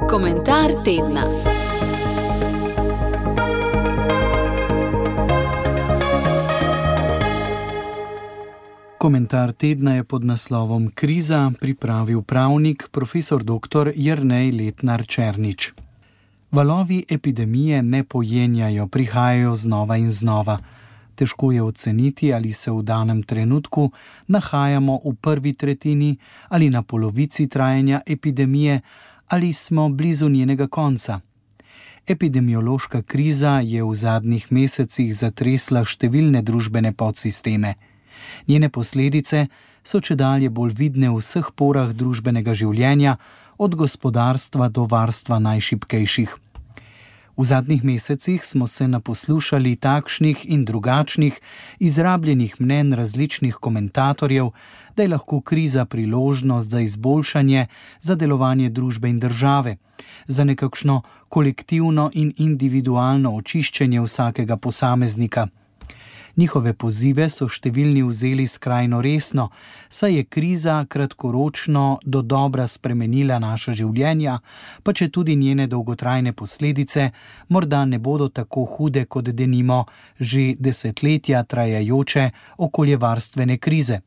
Komentar tedna. Komentar tedna je pod naslovom Kriza pripravil pravnik profesor dr. Jernej Letnar Černič. Valovi epidemije ne pojenjajo, prihajajo znova in znova. Težko je oceniti, ali se v danem trenutku nahajamo v prvi tretjini ali na polovici trajanja epidemije ali smo blizu njenega konca. Epidemiološka kriza je v zadnjih mesecih zatresla številne družbene podsisteme. Njene posledice so čedalje bolj vidne v vseh porah družbenega življenja, od gospodarstva do varstva najšibkejših. V zadnjih mesecih smo se naposlušali takšnih in drugačnih, izrabljenih mnenj različnih komentatorjev, da je lahko kriza priložnost za izboljšanje, za delovanje družbe in države, za nekakšno kolektivno in individualno očiščenje vsakega posameznika. Njihove pozive so številni vzeli skrajno resno, saj je kriza kratkoročno do dobra spremenila naša življenja, pa četudi njene dolgotrajne posledice morda ne bodo tako hude kot denimo že desetletja trajajoče okoljevarstvene krize.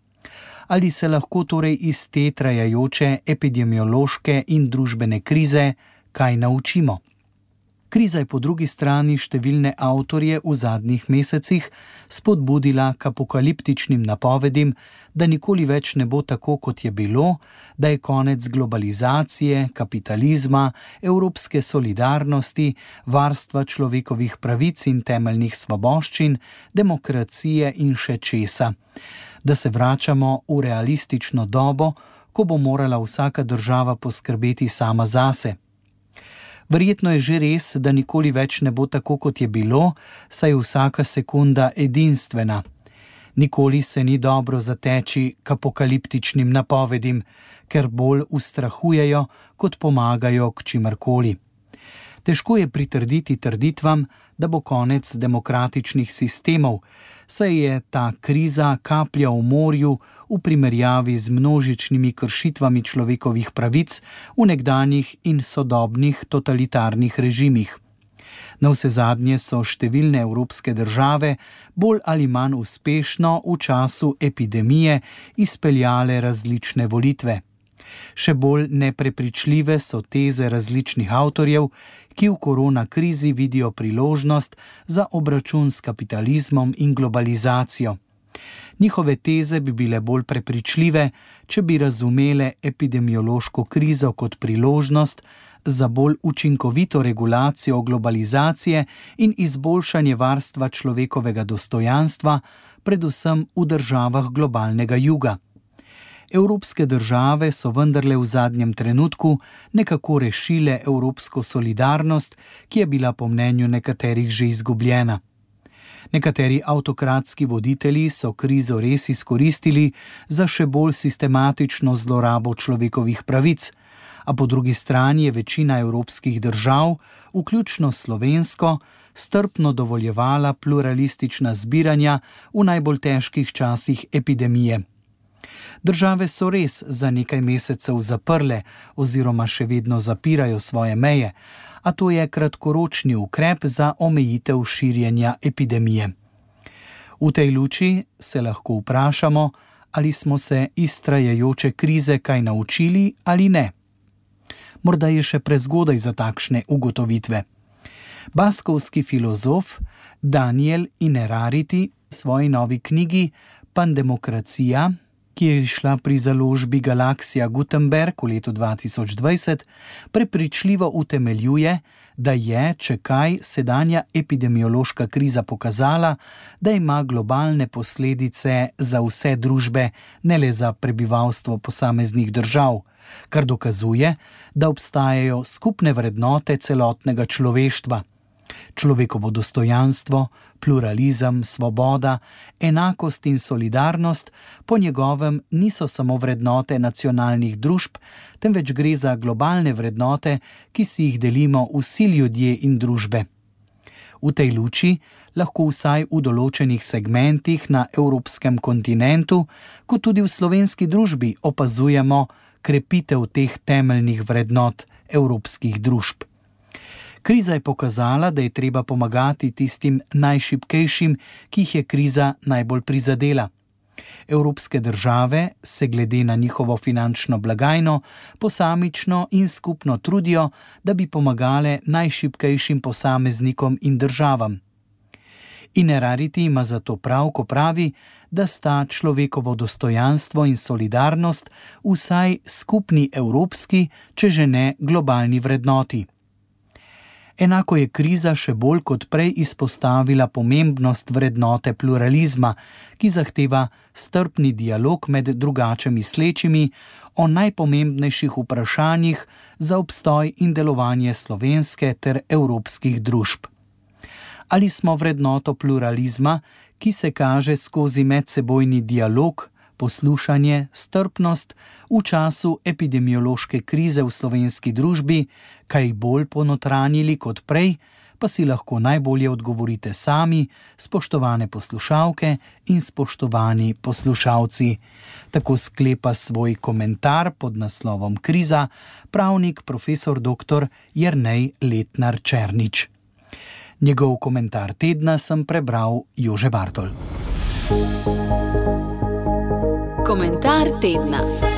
Ali se lahko torej iz te trajajoče epidemiološke in družbene krize kaj naučimo? Kriza je po drugi strani številne avtorje v zadnjih mesecih spodbudila k apokaliptičnim napovedim, da nikoli več ne bo tako, kot je bilo, da je konec globalizacije, kapitalizma, evropske solidarnosti, varstva človekovih pravic in temeljnih svoboščin, demokracije in še česa. Da se vračamo v realistično dobo, ko bo morala vsaka država poskrbeti sama zase. Verjetno je že res, da nikoli več ne bo tako, kot je bilo, saj je vsaka sekunda edinstvena. Nikoli se ni dobro zateči k apokaliptičnim napovedim, ker bolj ustrahujejo, kot pomagajo k čimerkoli. Težko je pritrditi trditvam, da bo konec demokratičnih sistemov, saj je ta kriza kaplja v morju v primerjavi z množičnimi kršitvami človekovih pravic v nekdanjih in sodobnih totalitarnih režimih. Navsezadnje so številne evropske države bolj ali manj uspešno v času epidemije izpeljale različne volitve. Še bolj neprepričljive so teze različnih avtorjev, ki v korona krizi vidijo priložnost za obračun s kapitalizmom in globalizacijo. Njihove teze bi bile bolj prepričljive, če bi razumele epidemiološko krizo kot priložnost za bolj učinkovito regulacijo globalizacije in izboljšanje varstva človekovega dostojanstva, predvsem v državah globalnega juga. Evropske države so vendarle v zadnjem trenutku nekako rešile evropsko solidarnost, ki je bila po mnenju nekaterih že izgubljena. Nekateri avtokratski voditelji so krizo res izkoristili za še bolj sistematično zlorabo človekovih pravic, a po drugi strani je večina evropskih držav, vključno slovensko, strpno dovoljevala pluralistična zbiranja v najbolj težkih časih epidemije. Države so res za nekaj mesecev zaprle oziroma še vedno zapirajo svoje meje, a to je kratkoročni ukrep za omejitev širjenja epidemije. V tej luči se lahko vprašamo, ali smo se iz trajajoče krize kaj naučili ali ne. Morda je še prezgodaj za takšne ugotovitve. Baskovski filozof Daniel Innerarity v svoji novi knjigi Pandemokracija, ki je izšla pri založbi Galaksija Gutenberg v letu 2020, prepričljivo utemeljuje, da je, če kaj, sedanja epidemiološka kriza pokazala, da ima globalne posledice za vse družbe, ne le za prebivalstvo posameznih držav, kar dokazuje, da obstajajo skupne vrednote celotnega človeštva. Človekovo dostojanstvo, pluralizem, svoboda, enakost in solidarnost po njegovem niso samo vrednote nacionalnih družb, temveč gre za globalne vrednote, ki si jih delimo vsi ljudje in družbe. V tej luči lahko vsaj v določenih segmentih na evropskem kontinentu, kot tudi v slovenski družbi opazujemo, krepitev teh temeljnih vrednot evropskih družb. Kriza je pokazala, da je treba pomagati tistim najšibkejšim, ki jih je kriza najbolj prizadela. Evropske države se glede na njihovo finančno blagajno posamično in skupno trudijo, da bi pomagale najšibkejšim posameznikom in državam. Innerarity ima zato prav, ko pravi, da sta človekovo dostojanstvo in solidarnost vsaj skupni evropski, če že ne globalni vrednoti. Enako je kriza še bolj kot prej izpostavila pomembnost vrednote pluralizma, ki zahteva strpni dialog med drugače mislečimi o najpomembnejših vprašanjih za obstoj in delovanje slovenske ter evropskih družb. Ali smo vrednoto pluralizma, ki se kaže skozi medsebojni dialog, poslušanje, strpnost v času epidemiološke krize v slovenski družbi, kaj bolj ponotranjili kot prej, pa si lahko najbolje odgovorite sami, spoštovane poslušalke in spoštovani poslušalci. Tako sklepa svoj komentar pod naslovom Kriza pravnik profesor dr. Jernej Letnar Černič. Njegov komentar tedna sem prebral Jože Bartol. Komentar tedna.